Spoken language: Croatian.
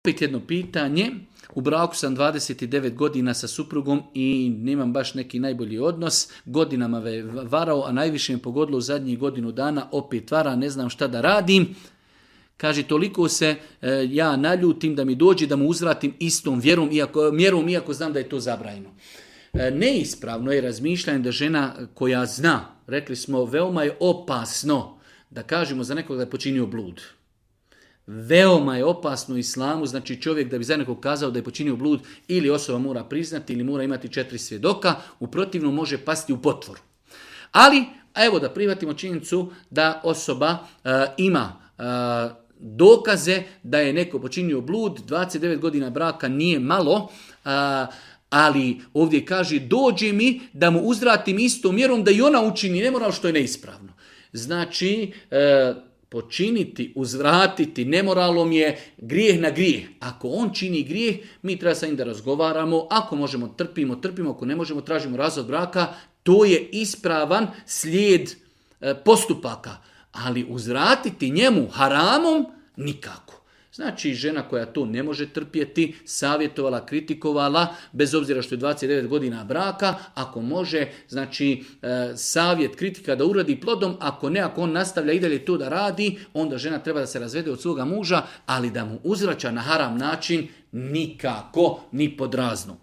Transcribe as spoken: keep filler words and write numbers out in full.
Opet jedno pitanje, u braku sam dvadeset devet godina sa suprugom i nemam baš neki najbolji odnos, godinama me varao, a najviše me pogodilo u zadnjih godinu dana, opet vara, ne znam šta da radim. Kaže, toliko se e, ja naljutim da mi dođe da mu uzvratim istom vjerom, iako, mjerom, iako znam da je to zabranjeno. E, neispravno je razmišljanje da žena koja zna, rekli smo, veoma je opasno da kažemo za nekog da je počinio blud. Veoma je opasno u islamu, znači čovjek da bi za nekog kazao da je počinio blud, ili osoba mora priznati ili mora imati četiri svjedoka, u protivnom može pasti u potvoru. Ali, evo da prihvatimo činjenicu da osoba uh, ima uh, dokaze da je neko počinio blud, dvadeset devet godina braka nije malo, uh, ali ovdje kaže dođe mi da mu uzvratim istom mjerom da i ona učini nemoral što je neispravno. Znači, uh, počiniti, uzvratiti nemoralom je grijeh na grijeh. Ako on čini grijeh, mi treba sa njim da razgovaramo. Ako možemo, trpimo, trpimo. Ako ne možemo, tražimo razvod braka. To je ispravan slijed postupaka. Ali uzvratiti njemu haramom nikako. Znači, žena koja to ne može trpjeti, savjetovala, kritikovala, bez obzira što je dvadeset devet godina braka, ako može, znači, savjet, kritika da uradi plodom, ako ne, ako on nastavlja i dalje to da radi, onda žena treba da se razvede od svoga muža, ali da mu uzvraća na haram način nikako, ni pod razno.